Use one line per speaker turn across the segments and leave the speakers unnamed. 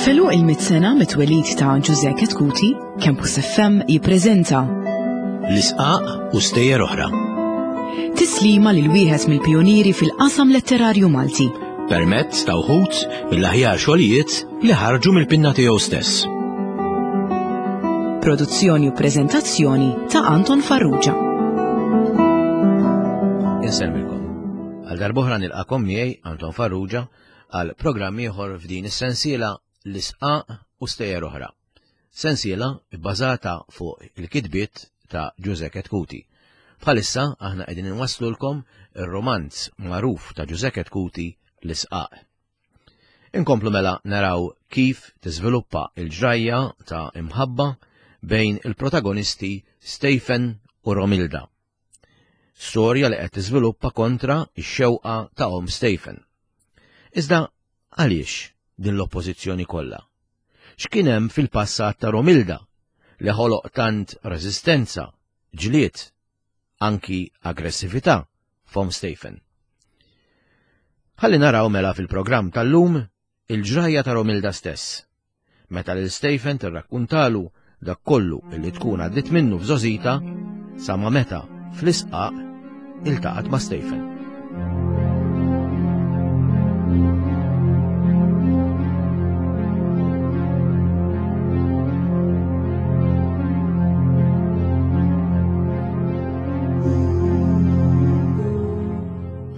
F'għeluq il-mitt sena mit-twelid ta' Ġużè Chetcuti, Campus FM jippreżenta
L-Isqaq u Stejjer Oħra.
Tislima lil wieħed mill-pijunieri fil-qasam letterarju Malti.
Permezz ta' wħud mill-aħjar xogħlijiet li ħarġu mill-pinna tiegħu stess.
Produzzjoni u preżentazzjoni ta' Anton Farrugia.
Insellmilkom. Għal darb'oħra nilqakom miegħi Anton Farrugia għal programm ieħor f'din is-sensiela L-Isqaq u Stejjer Oħra. Sensiela bbażata fuq il-kitbiet ta' Ġużè Chetcuti. Bħalissa aħna qegħdin inwasslulkom ir-rumanz magħruf ta' Ġużè Chetcuti L-Isqaq. Inkomplu mela naraw kif tiżviluppa l-ġrajja ta' imħabba bejn il-protagonisti Stephen u Romilda. Storja li qed tiżviluppa kontra x-xewqa ta' omm Stephen. Iżda għaliex din l-oppożizzjoni kollha? X'kien hemm fil-passat ta' Romilda li ħoloq tant reżistenza, ġlied, anki aggressività f'omm Stephen? Ħalli naraw mela fil-programm tal-lum il-ġrajja ta' Romilda stess, meta lil Stephen tirrakkuntalu dak kollu li tkun għaddiet minnu f'żgħożitha sa ma meta fl-isqaq iltaqgħet ma' Stephen.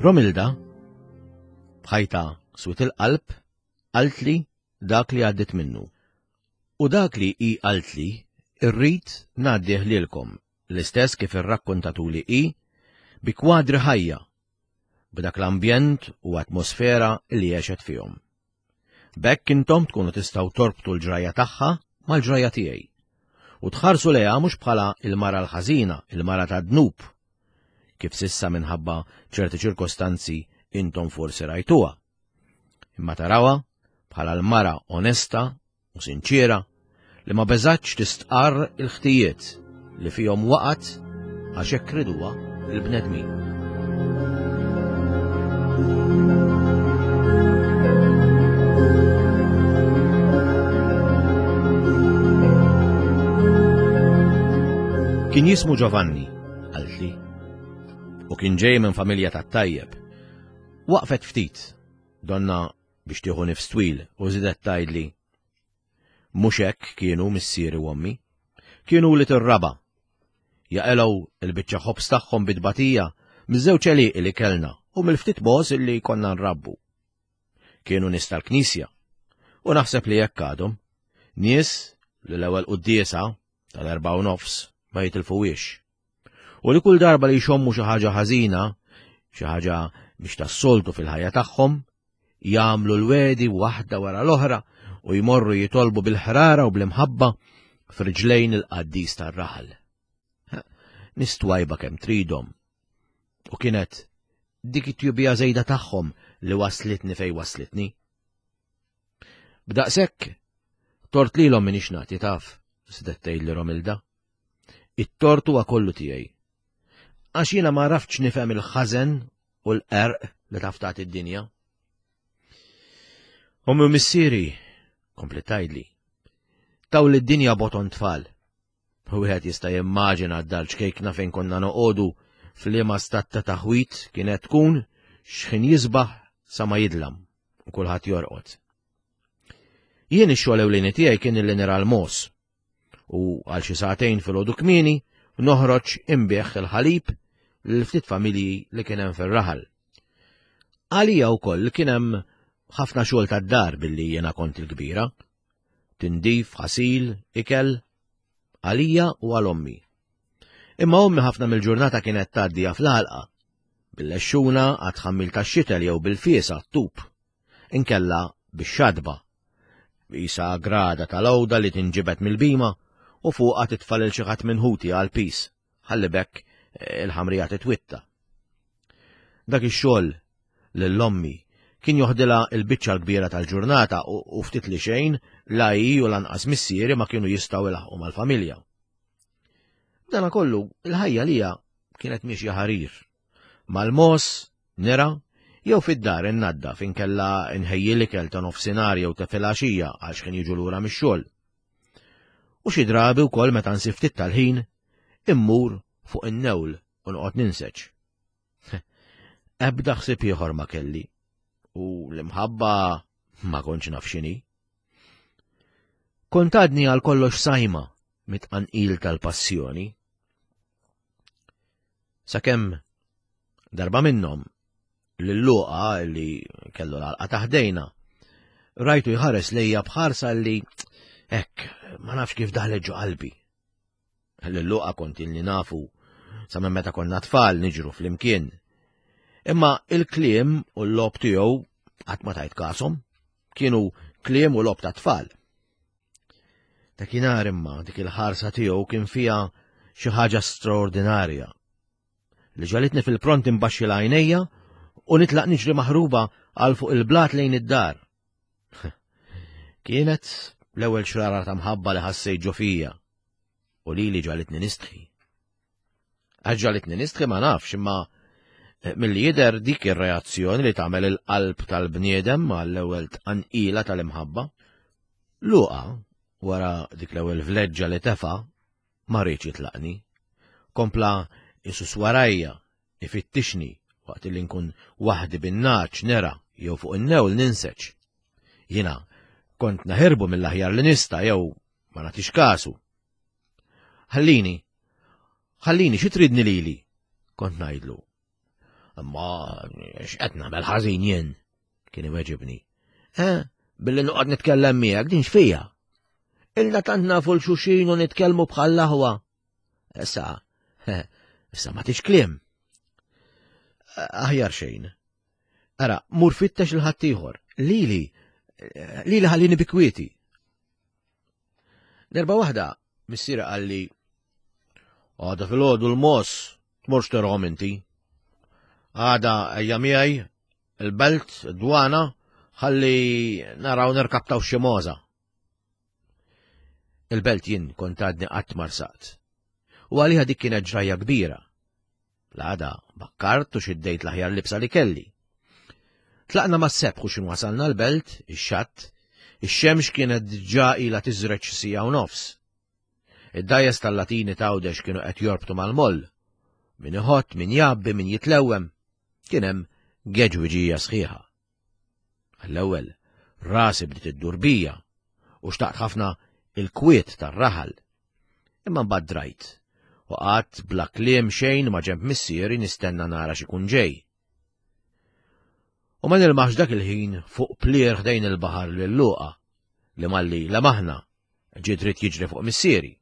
Romilda B'ħajta swiet il-qalb qaltli dak li għaddiet minnu. U dak li hi qaltli rrid ngħaddih lilkom, l-istess kif irrakkuntatuli hi, bi kwadri ħajja, b'dak l-ambjent u atmosfera li għexet fihom. B'hekk intom tkunu tistgħu torbtu l-ġrajja tagħha mal-ġrajja tiegħi. U tħarsu lejha mhux bħala l-mara l-ħażina, il-mara tad-dnub, kif s'issa minħabba ċerti ċirkostanzi intom forsi rajtuha. Imma tarawha bħala l-mara onesta u sinċiera li ma beżgħetx tistqarr il-ħtijiet li fihom waqgħet għax hekk riduha l-bnedmin. Kien jismu Giovanni, qaltli, u kien ġej minn familja tat-tajjeb. Waqfet ftit, donna biex tieħu nifs twil u żidet tgħidli, Mhux hekk kienu missieri u ommi. Kienu wlied ir-raba'. Jaqilgħu l-biċċa ħobż tagħhom bi tbatija miż-żewġ għelieqi li kellna u mill-ftit mogħoż illi konna nrabbu. Kienu nies tal-Knisja u naħseb li hekk għadhom. Nies li l-ewwel quddiesa tal-4:30 ma jitilfuhiex. U li kull darba li jxommu xi ħaġa ħażina, xi ħaġa mhix tas-soltu fil-ħajja tagħhom, jagħmlu l-wegħdi waħda wara l-oħra u jmorru jitolbu bil-ħrara u bl-imħabba f'riġlejn il-qaddis tar-raħal. Nies twajba kemm tridhom. U kienet dik it-tjubija żejda tagħhom li waslitni fejn waslitni. B'daqshekk, tort lilhom m'iniex nagħti taf, żiedet tgħidli Romilda. It-tort huwa kollu tiegħi. Għax jiena ma għaraftx nifhem il-ħażen u l-qerq li taf tagħti d-dinja. Ommi u missieri, kompliet tgħidli, taw lid-dinja boton tfal. Wieħed jista' jimmaġina d-dar ċkejkna fejn konna noqogħdu f'liema stat ta' taħwid kienet tkun x'ħin jisbaħ sa ma jidlam u kulħadd jorqod. Jien ix-xogħol ewlieni tiegħi kien li nira l-mogħoż u għal xi sagħtejn filgħodu kmieni noħroġ inbigħ il-ħalib lil ftit familji li kien hemm fir-raħal. Għalija wkoll kien hemm ħafna xogħol tad-dar billi jiena kont il-kbira. Tindif, ħasil, ikel, għalija u għal ommi. Imma ommi ħafna mill-ġurnata kienet tgħaddiha fl-għalqa, bil-lexxuna għat-tħammil tax-xitel jew bil-fies għat-tub. inkella bix-xatba, qisha grada tal-għuda li tinġibed mill-bhima u fuqha titfa' lil xi ħadd minn ħuti għall-piż, ħalli b'hekk il-ħamrija titwitta. Dak ix-xogħol lil ommi kien joħdilha l-biċċa l-kbira tal-ġurnata u ftit li xejn la hi u lanqas missieri ma kienu jistgħu ilaħħqu mal-familja. B'danakollu, il-ħajja lija kienet miexja ħarir. Mal-mogħoż, nirgħa, Jew fid-dar innaddaf inkella nħejji l-ikel ta' nofsinhar jew ta' filgħaxija għal x'ħin jiġu lura mix-xogħol. U xi drabi wkoll meta nsib ftit tal-ħin, immur fuq in-newl u noqgħod ninseġ. Ebda ħsieb ieħor ma kelli u l-imħabba ma kontx naf x'inhi. Kont għadni għal kollox sajma mit-tqanqil tal-passjoni. Sakemm darba minnhom lil Luqa li kellu l-għalqa taħdejna, rajtu jħares lejja bħarsa li hekk ma nafx kif daħlet ġo qalbi. Lil Luqa kont ilni nafu sa minn meta konna tfal niġru flimkien. Imma il-kliem u l-lob tiegħu qatt ma tajt kasom, kienu kliem u lob ta' tfal. Dakinhar imma dik il-ħarsa tiegħu kien fiha xi ħaġa straordinarja li ġalitni fil-pront imbaxxi l-għajnejja u nitlaq niġri maħruba għal fuq il-blat lejn id-dar. Kienet l-ewwel xrara ta' mħabba li ħassejt ġo fija u lili ġalitni nistħi. Għax ġalitni nistħi ma nafx imma eh, milli jidher dik ir-reazzjoni li tagħmel il-qalb tal-bniedem għall-ewwel tqanqila tal-imħabba. Luqa, wara dik l-ewwel vleġġa li tefa, ma riedx jitlaqni. Kompla isus warajja, ifittixni waqt li nkun waħdi bin-naċ nera jew fuq in-newl ninseġ. Jiena kont naħirbu mill-aħjar li nista' jew ma nagħtix kasu. Ħallini, ħallini xi tridni lili, kont ngħidlu. Imma x'qed nagħmel ħażin jien, kien iweġibni. Eh, billi noqgħod nitkellem miegħek din x'fija. Ilna tant nafu l-xuxin u nitkellmu bħal aħwa. Issa, eh, issa ma tix kliem. Aħjar xejn. Ara, mur fittex il-ħaddieħor. Lili, lili ħallini bikwieti. Darba waħda, missiera qalli, għada fil-ħodu l-mos, tmurx terhom inti. Għada ejja miegħi il-belt, id-dwana, ħalli naraw nirkaptaw xi moza. Il-belt jien kont għadni qatt marsaqt. U għaliha dik kienet ġrajja kbira. L-għada bakkart u xiddejt l-aħjar libsa li kelli. Tlaqna mas-sebħ u x'in wasalna l-belt, ix-xatt, ix-xemx kienet diġà ilha tiżreġ siegħa u nofs. Id-dgħajjes tal-Latini t'Għawdex kienu qed jorbtu mal-moll. Min iħott, min jgħabbi, min jitlewwem. Kien hemm geġwiġija sħiħa. Għall-ewwel, rasi bdiet iddur bija u xtaqt ħafna il-kwiet tar-raħal. Imma mbagħad drajt u qgħadt bla kliem xejn ma' ġenb missieri nistenna nara x'ikun ġej. U ma nilmaħx dak il-ħin fuq plier ħdejn il-baħar lil Luqa li malli lemaħna ġie dritt jiġri fuq missieri.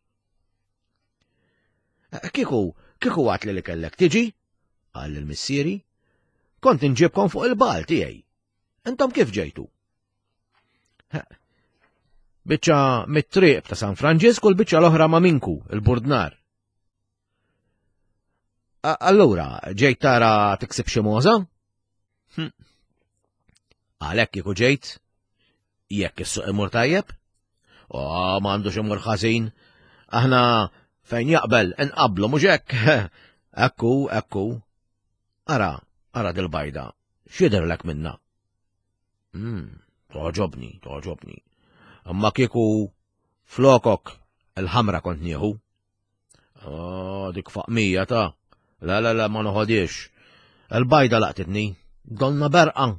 Eh, kieku, kieku għat li li kellek tiġi, qal il-missieri, kont inġibkom fuq il-bal tiegħi. Intom kif ġejtu? Biċċa mit-triq ta' San Franġisk u l-biċċa l-oħra ma' minku, il-burdnar. Allura, ġejt tara tiksib xi moża? Hm. Għalhekk kieku ġejt, jekk is-suq imur tajjeb? O, ma għandux imur ħażin. Aħna fejn jaqbel inqablu mhux hekk. Ekku, ekku. Ara, ara dil-bajda, x'jidhirlek minna? Hmm, toġobni, toġobni. Imma kieku flokok il-ħamra kont nieħu. Oh, dik faqmija ta' La, la, la, ma noħodiex. Il-bajda laqtitni, donna berqa.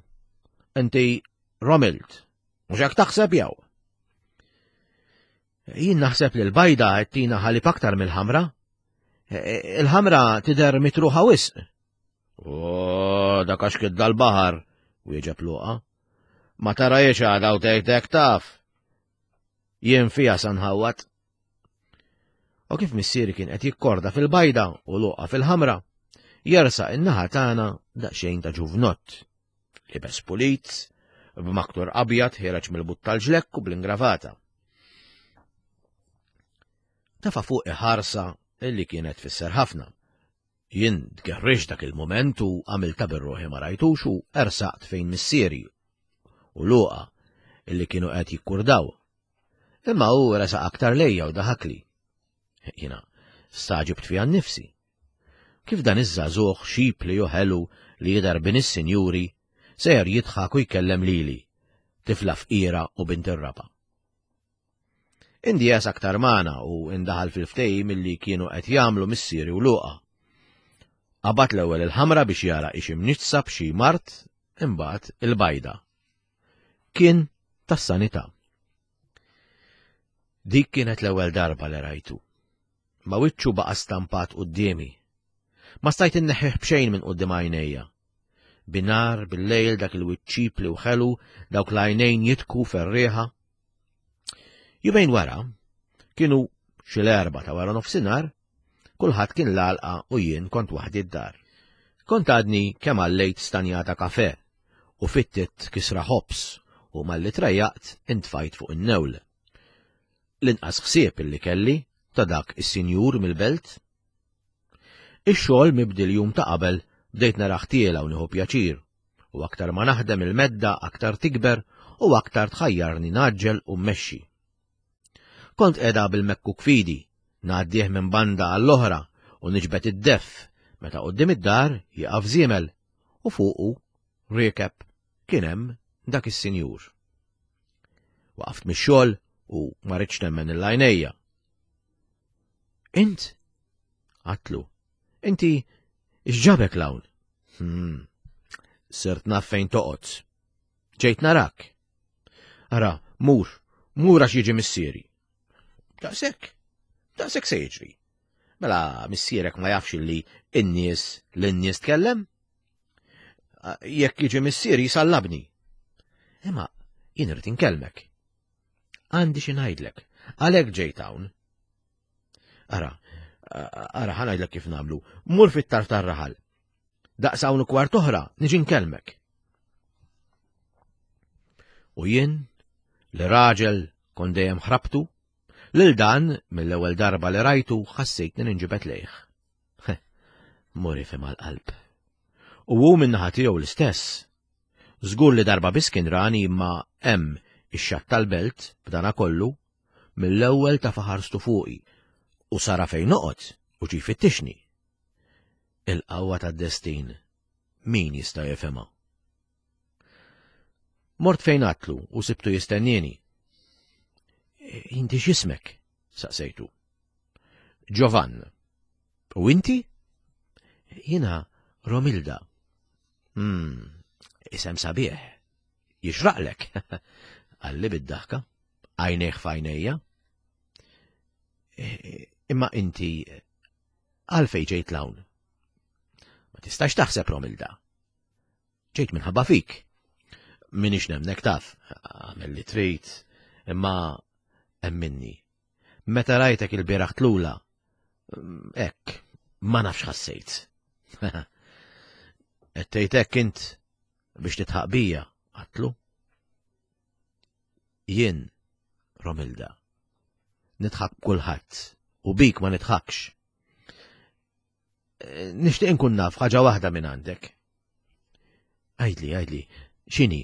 Inti romilt, mhux hekk taħseb jew? Jien naħseb li l-bajda qed tina ħalib aktar mill-ħamra. E, e, il-ħamra tidher mitruħa wisq. Oh, dak għax kidda l-baħar, wieġeb Luqa. Ma tarajiex għada u tgħid taf. Jien fija sanħawat. U kif missieri kien qed jikkorda fil-bajda u Luqa fil-ħamra, jersaq in-naħa tagħna daqsxejn ta' ġuvnott. Libes pulit, b'maktur abjad ħireġ mill-but tal-ġlekk u bl-ingravata. Tafa fuq iħarsa illi kienet tfisser ħafna. Jien tgerrix dak il-mument u għamilta bir-ruħi ma rajtux u ersaqt fejn missieri u Luqa illi kienu qed jikkurdaw. Imma hu resaq aktar lejja u daħakli. Jiena staġibt fija nnifsi. Kif dan iż-żagħżugħ xipli u ħelu li jidher bin is-sinjuri Sejjer jidħak u jkellem lili, tifla fqira u bint ir-raba'. Indies aktar magħna u indaħal fil-ftehim illi kienu qed jagħmlu missieri u Luqa. Qabad l-ewwel il-ħamra biex jara ix imniġġsa b'xi mard, imbagħad il-bajda. Kien tas-sanità. Dik kienet l-ewwel darba li rajtu. Ma wiċċu baqa' stampat quddiemi. Ma stajt inneħħih b'xejn minn quddiem għajnejja. Binar, bil-lejl dak il-wiċċ ċipli u ħelu, dawk l-għajnejn jitku ferrieħa. Jumejn wara, kienu xi l-erba ta' wara nofsinhar, kulħadd kien l-għalqa u jien kont waħdi d-dar. Kont għadni kemm għallejt stanjata kafe u fittit kisra ħobż u malli trejjaqt intfajt fuq in-newl. L-inqas ħsieb illi kelli ta' dak is-sinjur mill-belt. Ix-xogħol mibdi l-jum ta' qabel bdejt narah tiela u nieħu pjaċir u aktar ma naħdem il-medda aktar tikber u aktar tħajjarni ngħaġġel u mmexxi. Kont qiegħda bil-mekkuk f'idi, ngħaddih minn banda għall-oħra u niġbed id-deff meta quddiem id-dar jieqaf żiemel u fuqu riekeb kien hemm dak is-sinjur. Waqaft mix-xogħol u ma ridtx nemmen il għajnejja. Int? Għatlu. Inti x'ġabek l-hawn? Hmm. Sirt naf fejn toqgħod. Ġejt narak. Ara, mur, mur għax jiġi missieri. Daqshekk, daqshekk se jiġri. Mela missierek ma jafx li n-nies lin-nies tkellem? Jekk jiġi missieri jisallabni. Imma jien irid inkellmek. Għandi xi ngħidlek, għalhekk ġejt hawn. Ara, ara ħa ngħidlek kif nagħmlu. Mur fit-tarf tar-raħal. Daqs hawn u kwart oħra niġi nkellmek. U jien, li raġel kon dejjem ħrabtu, lil dan mill-ewwel darba li rajtu ħassejtni ninġibed lejh. Muri fi mal-qalb. U hu min-naħa tiegħu l-istess. Żgur li darba biss kien rani imma hemm ix-xatt tal-belt b'dana kollu mill-ewwel ta' faħarstu fuqi u sara fejn noqgħod u ġie jfittixni. Il-qawwa tad-destin min jista' jifhimha? Mort fejn għatlu u sibtu jistennieni. Inti x'ismek? saqsejtu. Ġovann. U inti? Jiena Romilda. Hmm, isem sabiħ. Jixraqlek, qalli bid-daħka, għajnejh f'għajnejja. E, imma inti għalfej ġejt l-hawn? Ma tistax taħseb Romilda. Ġejt minħabba fik. Minix nemnek taf, għamel li trid, imma emminni. Meta rajtek il-bieraħ tlula, hekk, ma nafx ħassejt. Qed tgħid hekk int biex titħaq bija, għatlu. Jien, Romilda, nidħak b'kulħadd u bik ma nidħakx. Nixtieq inkun naf ħaġa waħda minn għandek. Għidli, għidli, x'inhi?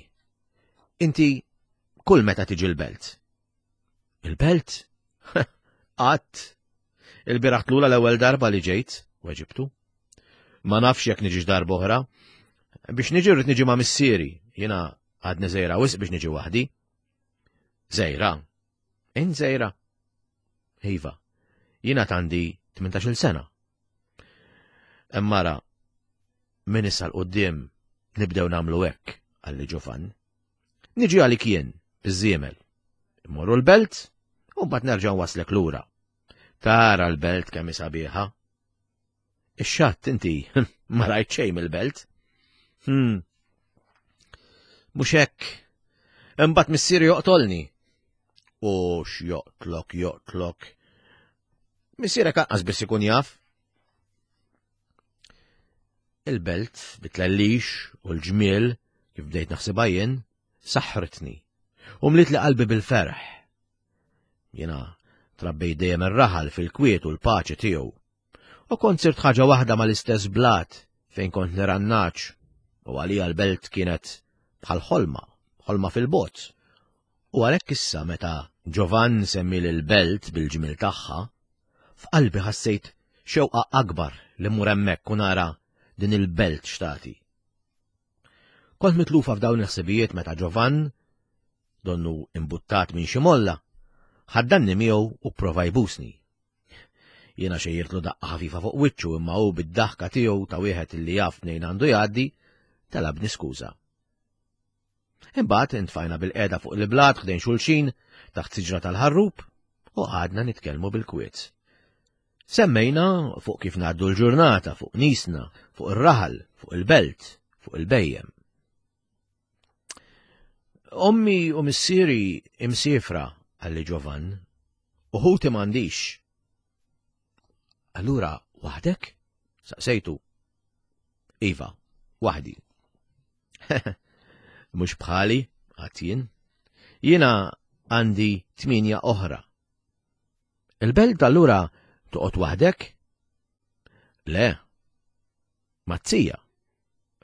Inti kull meta tiġi l-belt. Il-belt? Qatt. Il-bieraħ tlula l-ewwel darba li ġejt, weġibtu. Ma nafx jekk niġix darba oħra. Biex niġi rrid niġi ma' missieri, jiena għadni żejra wisq biex niġi waħdi. Żejra? Int żejra? Iva, jiena għandi 18-il sena. Emmara, minn issa l-qoddim nibdew namlu hekk, għalli Ġovan. Niġi għalik jien, biż-żiemel. Immorru l-belt, u mbagħad nerġa' waslek lura. Tara l-belt kemm sabiħa. Ix-xatt inti ma rajt xejn mill-belt. Hmm. Mhux hekk. Imbagħad missieri joqtolni. U x'joqtlok, joqtlok. Missierek anqas biss ikun jaf. Il-belt bit-tlellix u l-ġmiel, kif bdejt naħsibha jien, saħħritni u mliet li qalbi bil-ferħ. Jiena trabbejt dejjem ir-raħal fil-kwiet u l-paċi tiegħu. U kont sirt ħaġa waħda mal-istess blat fejn kont nirannaċ u għalija l-belt kienet bħal ħolma, ħolma fil-bot. U għalhekk issa meta Ġovann semmi l-belt bil-ġmiel tagħha, f'qalbi ħassejt xewqa akbar li mmur hemmhekk u nara din il-belt x'tagħti. Kont mitlufa f'dawn il-ħsibijiet meta Ġovann, donnu imbuttat minn xi molla, ħaddanni miegħu u pprova jbusni. Jiena xejjirtlu daqqa ħafifa fuq wiċċu imma hu bid-daħka tiegħu ta' wieħed li jaf mnejn għandu jgħaddi, talabni skuża. Imbagħad intfajna bil-qiegħda fuq il-blat ħdejn xulxin taħt siġra tal-ħarrub u qgħadna nitkellmu bil-kwiet. Semmejna fuq kif ngħaddu l-ġurnata, fuq nisna, fuq ir-raħal, fuq il-belt, fuq il-bejjem. Ommi u missieri imsifra, għalli Ġovan, u ħuti m'għandix. Allura waħdek? Saqsejtu. Iva, waħdi. Mhux bħali, għadt jien. Jiena għandi tminja oħra. Il-belt allura toqgħod waħdek? Le, mazzija,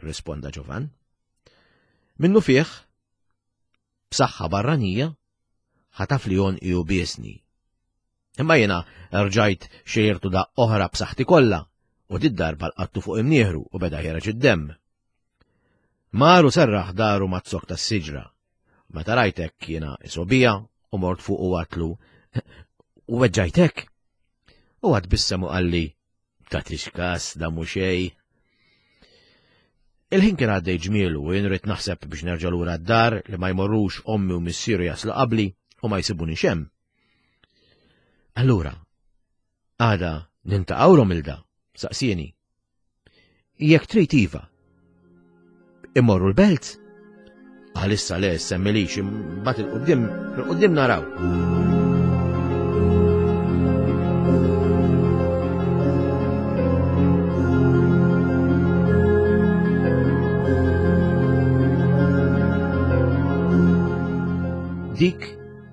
risponda Ġovan. Minnu fih, b'saħħa barranija, ħataf li jonqi u biesni. Imma jiena rġajt xejrtu daqq oħra b'saħħti kollha u did-darba lqattu fuq imnieħru u beda ħiereġ id-demm. Mar u serraħ daru maz-zokk tas-siġra. Meta rajt hekk jiena isobija u mort fuq u għatlu u weġġajtek. U għad bissem u qalli tagħtix kas da mhu xejn. Il-ħin kien għaddej ġmielu u jien rrid naħseb biex nerġa' lura d-dar li ma jmorrux ommi u missieru jaslu qabli u ma jsibunix hemm. Allura, għada nintaqgħu Romilda, saqsieni. Jekk trid iva. Immorru l-belt? Għalissa le semmilix, imbagħad il-qudiem, il-qudiem naraw. Dik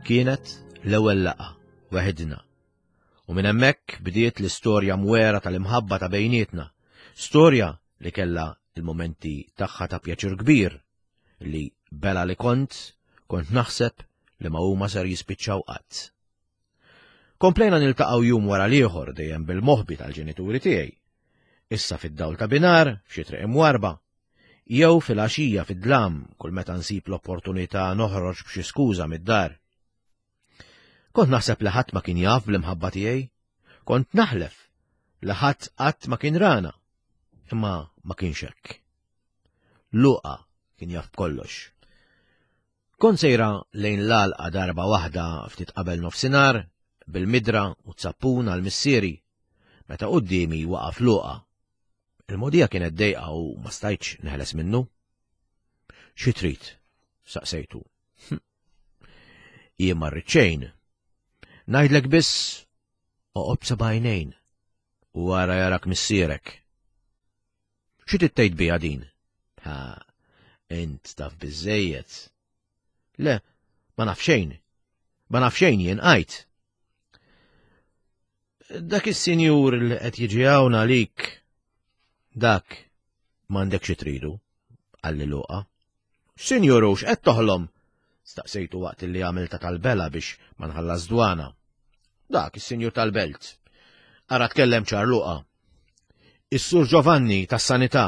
kienet l-ewwel laqgħa weħidna. U minn hemmhekk bdiet l-istorja mwera tal-imħabba ta' bejnietna, storja li kellha il-momenti tagħha ta' pjaċir kbir li bela li kont, kont naħseb li ma huma ser jispiċċaw qatt. Komplejna niltaqgħu jum wara l-ieħor dejjem bil-moħbi tal-ġenituri tiegħi. Issa fid-dawl ta' binar, f'xi triq imwarba, jew fil-għaxija fid-dlam kull meta nsib l-opportunità noħroġ b'xi skuża mid-dar. Kont naħseb li ħadd ma kien jaf bl-imħabba tiegħi. Kont naħlef li ħadd qatt ma kien rana. Imma ma kienx hekk. Luqa kien jaf b'kollox. Kont sejra lejn l-għalqa darba waħda ftit qabel nofsinhar bil-midra u t-sappun għal missieri meta quddiemi waqaf Luqa. Il-mogħdija kienet dejqa u ma stajtx neħles minnu. Xi trid? saqsejtu. Hm. Jien ma rrid xejn. Ngħidlek biss oqgħod b'sebgħinejn u wara jarak missierek. Xi trid tgħid biha din? Ha, int taf biżejjed. Le, ma naf xejn. Ma naf xejn jien għajt. Dak is-sinjur li qed jiġi hawn għalik, dak m'għandek xi tridu, qalli Luqa. Sinjur hux qed toħlom? Staqsejtu waqt li għamilta tal-bela biex ma nħallas dwana. Dak is-sinjur tal-belt. Ara tkellem ċar Luqa. Is-Sur Giovanni tas-Sanità.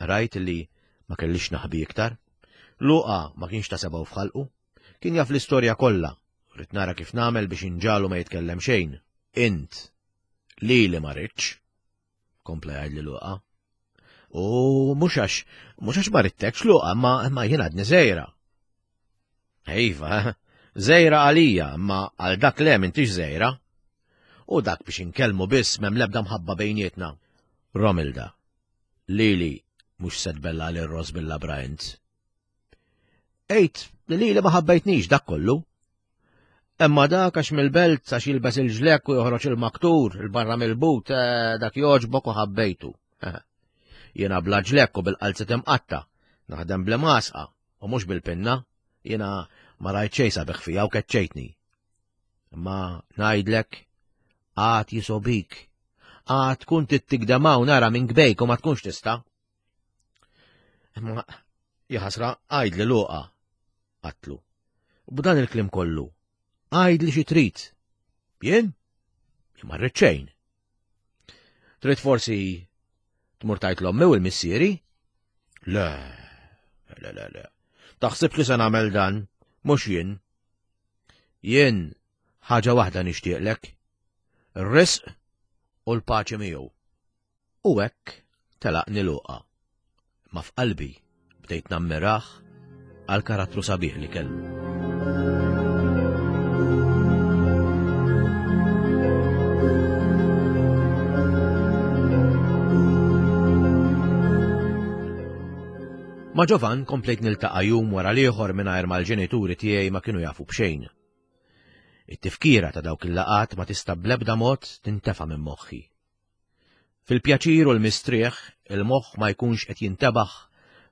Rajt li ma kellix naħbi iktar. Luqa ma kienx ta' sebgħu f'ħalqu. Kien jaf l-istorja kollha Rrid nara kif nagħmel biex inġagħlu ma jitkellem xejn. Int, lili ma ridtx, kompla jgħidli Luqa. U mhux għax, mhux għax ma ridtekx Luqa, imma imma jien għadni żgħira. Iva, żgħira għalija, imma għal dak le m'intix żgħira. U dak biex inkellmu biss m'hemm l-ebda mħabba bejnietna. Romilda, lili mhux se tbella lil Ross bil-labra int. Għid li lili ma ħabbejtnix dak kollu. Imma dak għax mill-belt għax jilbes il-ġlek u joħroġ il-maktur il-barra mill-but eh, dak joġbok u ħabbejtu. Eh, jiena bla ġlek u bil-qalzet imqatta, naħdem bl-masqa u mhux bil-pinna, jiena ma rajt xejn sabiħ fija u keċċejtni. Imma ngħidlek għad jisobik, għad tkun tittigdemaw nara minn gbejk u ma tkunx tista'. Imma jaħasra għajd li luqa, għatlu. B'dan il-klim kollu, għajd li xi trid. Jien? Jien ma rrid xejn. Trid forsi tmur tajt l-ommi u l-missieri? Le. Le, le, le. Taħsibx li se nagħmel dan, mhux jien. Jien ħaġa waħda nixtieqlek. Ir-risq u l-paċi miegħu. U hekk telaqni Luqa. Imma f'qalbi bdejt nammirah għall-karattru sabiħ li kellu. Ma' Ġovan komplejt niltaqa' jum wara l-ieħor mingħajr ma l-ġenituri tiegħi ma kienu jafu b'xejn. It-tifkira ta' dawk il-laqgħat ma tista' bl-ebda mod tintefa' minn moħħi. Fil-pjaċir u l-mistrieħ il-moħħ ma jkunx qed jintebaħ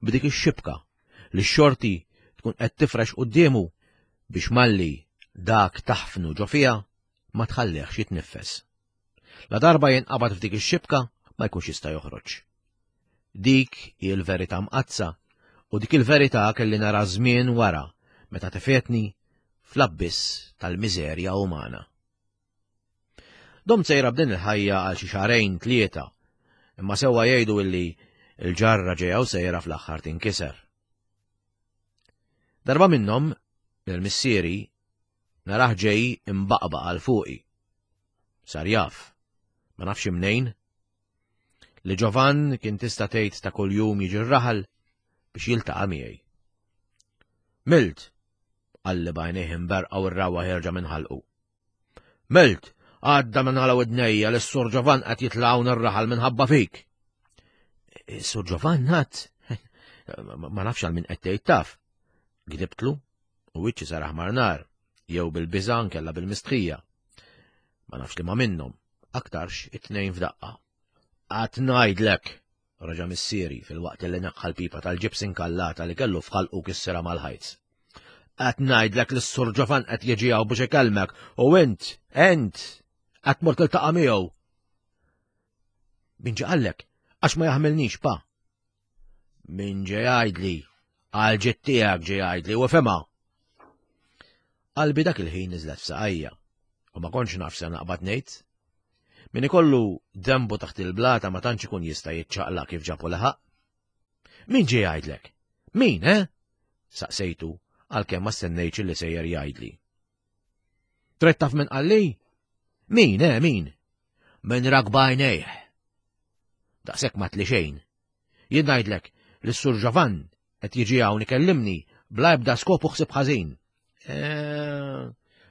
b'dik ix-xibka li x-xorti tkun qed tifrex quddiemu biex malli dak taħfnu ġo fiha ma tħallihx jitniffes. La darba jinqabad f'dik ix-xibka ma jkunx jista' joħroġ. Dik hi l-verità mqaddsa u dik il-verità kelli nara żmien wara meta tefetni fl-abbiss tal-miżerja umana. Domt sejra b'din il-ħajja għal xi xahrejn tlieta, imma sewwa jgħidu illi l-ġarra ġejja u sejra fl-aħħar tinkiser. Darba minnhom, lil missieri narah ġej imbaqbaq għal fuqi. Sar jaf, ma nafx imnejn, li Ġovan kien tista' tgħid ta' kuljum jiġi r-raħal biex jiltaqa' miegħi. Milt, qalli b'għajnejh imberqa u r-rawwa ħierġa minn ħalqu. Milt, għadda minn għala widnejja li s-Sur Ġovan qed jitla' hawn ir-raħal minħabba fik. Sur Ġovan għad, ma nafx għal min qed tgħid taf. Gdibtlu u wiċċi sar aħmar nar, jew bil-biża' nkella bil-mistħija. Ma nafx li ma minnhom, aktarx it-tnejn f'daqqa. Qatt ngħidlek, Reġa' missieri filwaqt li neħħa l-pipa tal-ġibs inkallata li kellu f'ħalqu kissirha mal-ħajt. Qed ngħidlek li s-Sur Ġovan qed jiġi hawn biex ikellmek u int, int, qed tmur tiltaqa' miegħu. Min ġie qallek? Għax ma jaħmilnix, pa. Min ġie jgħidli? Għal ġid tiegħek ġie jgħidli u fhimha. Qalbi dak il-ħin niżlet f'saqajja u ma kontx naf se naqbad ngħid. Min ikollu dembu taħt il-blata ma tantx ikun jista' jiċċaqlaq kif ġabu laħaq. Min ġie jgħidlek? Min, eh? Saqsejtu għalkemm ma stennejtx li sejjer jgħidli. Trid taf min qalli? Min, eh, min? Min rak b'għajnejh. Daqshekk ma tli xejn. Jien ngħidlek li s-Sur Ġovan qed jiġi hawn ikellimni bla ebda skop u ħsieb ħażin. Eh,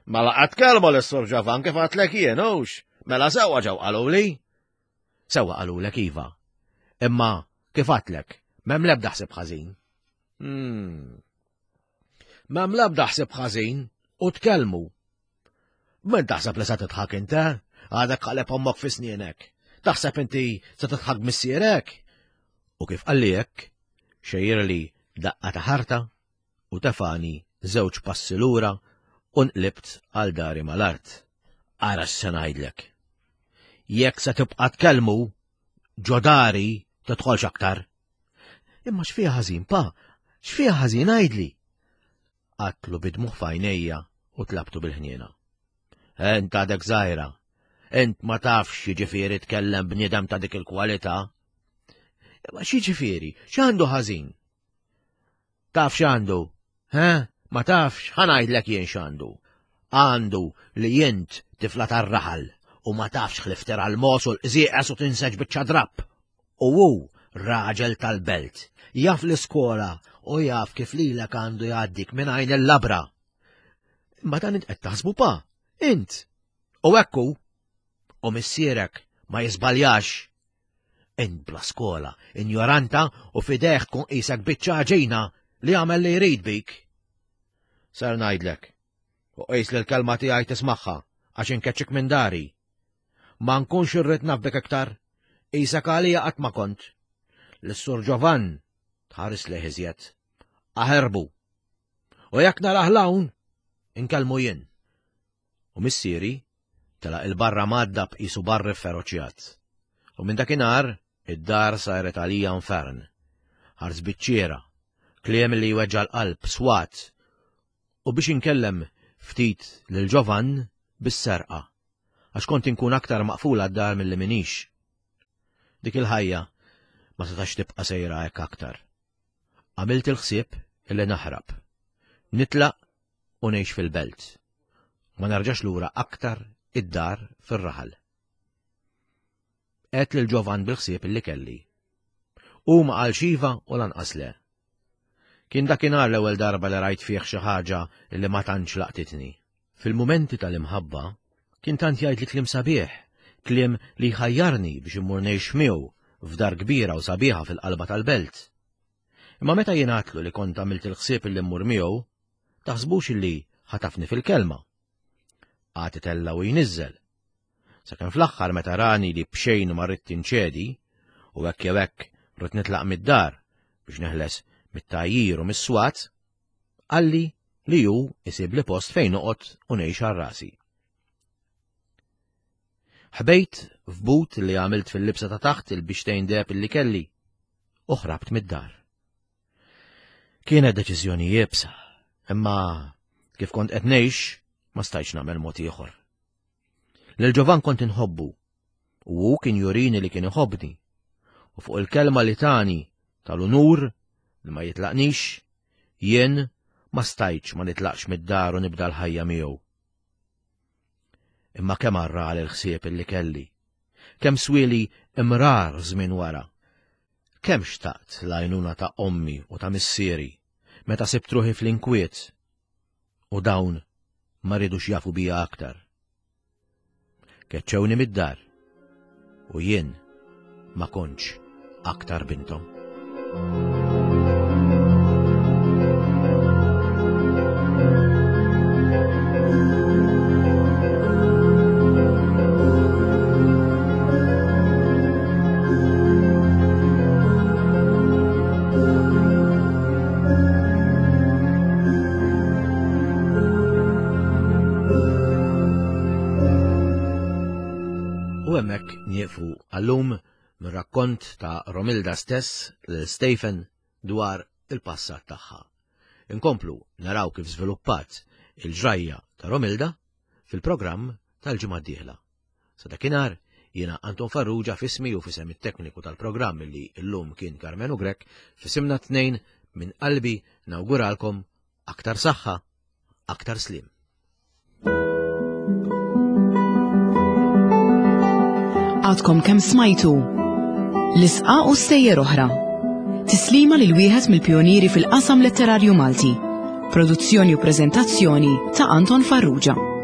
mela qatt kelmu lis-Sur Ġovan kif għadtlek jien hux? Mela sewwa ġew qaluli. Sewwa qalulek iva. Imma kif għadtlek, m'hemm l-ebda ħsieb ħażin. Hmm. M'hemm l-ebda ħsieb ħażin u tkellmu. Min taħseb li se tidħak int, eh? Għadek qaleb ommok fi snienek. Taħseb inti se tidħak missierek? U kif qalli hekk, xejjirli daqqa ta' ħarta u tefani żewġ passi lura u nqlibt għal dari mal-art. Ara x'se ngħidlek. Jekk se tibqa' tkellmu, ġo dari tidħolx aktar. Imma x'fiha ħażin, pa? X'fiha ħażin għidli? Għadtlu bid-dmugħ f'għajnejja u tlabtu bil-ħniena. Ent għadek żgħira. Ent ma tafx x'jiġifieri tkellem bniedem ta' dik il-kwalità. Imma x'jiġifieri? X'għandu ħażin? Taf x'għandu? He? Ma tafx? Ħa ngħidlek jien x'għandu. Għandu li int tifla tar-raħal u ma tafx ħlief tera l-mogħoż u l-qżieqeż u tinseġ biċċa drapp. U hu raġel tal-belt, jaf l-iskola u jaf kif lilek għandu jgħaddik minn għajn il-labra. Imma dan int qed taħsbu pa, int. U hekk hu. U missierek ma jiżbaljax. Int bla skola, injoranta u f'idejh tkun qisek biċċa għaġina li jagħmel li jrid bik. Ser ngħidlek, u qis li l-kelma tiegħi tismagħha għax inkeċċik minn dari. Ma nkunx irrid naf bik iktar. Qisek għalija qatt ma kont. Lis-Sur Ġovann tħares lejh iżjed. Aħerbu. U jekk narah 'l hawn, inkellmu jien. U missieri telaq 'il barra mgħaddab qisu barri fferoċjat. U minn dakinhar id-dar saret għalija infern. Ħars biċ-ċiera, kliem li jweġġa' l-qalb, swat, u biex inkellem ftit lil Ġovann bis-serqa, għax kont inkun aktar maqfula d-dar milli m'iniex. Dik il-ħajja ma setax tibqa' sejra hekk aktar. Għamilt il-ħsieb illi naħrab. Nitlaq u ngħix fil-belt. Ma nerġax lura aktar id-dar fir-raħal. Għedt lil Ġovan bil-ħsieb illi kelli. Hu ma qalx iva u lanqas le. Kien dakinhar l-ewwel darba li rajt fih xi ħaġa li ma tantx laqtitni. Fil-mumenti tal-imħabba, kien tant jgħidli kliem sabiħ, kliem li jħajjarni biex immur ngħix miegħu f'dar kbira u sabiħa fil-qalba tal-belt. Imma meta jien għadtlu li kont għamilt il-ħsieb illi mmur miegħu, taħsbux illi ħatafni fil-kelma. Qagħad itella' u jniżżel. Sakemm fl-aħħar meta rani li b'xejn ma ridt inċedi, u hekk jew hekk ridt nitlaq mid-dar biex neħles mit-tgħajjir u mis-swat, qalli li hu isibli post fejn noqgħod u ngħix għal rasi. Ħbejt f'but li għamilt fil-libsa ta' taħt il-bixtejn deheb li kelli u ħrabt mid-dar. Kienet deċiżjoni iebsa, imma kif kont qed ngħix ma stajtx nagħmel mod ieħor. Lil Ġovan kont inħobbu u hu kien jurini li kien iħobbni. U fuq il-kelma li tani tal-unur li ma jitlaqnix, jien ma stajtx ma nitlaqx mid-dar u nibda l-ħajja miegħu. Imma kemm arra l-ħsieb li kelli, kemm swieli imrar żmien wara. Kemm xtaqt l-għajnuna ta' ommi u ta' missieri meta sibt ruħi fl-inkwiet u dawn ma ridux jafu bija aktar. Keċċewni mid-dar u jien ma kontx aktar bintom. U hemmhekk nieqfu għallum mir-rakkont ta' Romilda stess lil Stephen dwar il-passat tagħha. Inkomplu naraw kif żviluppat il-ġrajja ta' Romilda fil-programm tal-ġimgħa d-dieħla. Sa dakinhar, jiena Anton Farrugia f'ismi u f'isem it-tekniku tal-programm li llum kien Karmenu Grech, f'isimna t-tnejn minn qalbi nawguralkom aktar saħħa, aktar sliem.
Għadkom kemm smajtu L-isqa u stejjer oħra. Tislima lil wieħed mill-pjonieri fil-qasam letterarju Malti. Produzzjoni u preżentazzjoni ta' Anton Farrugia.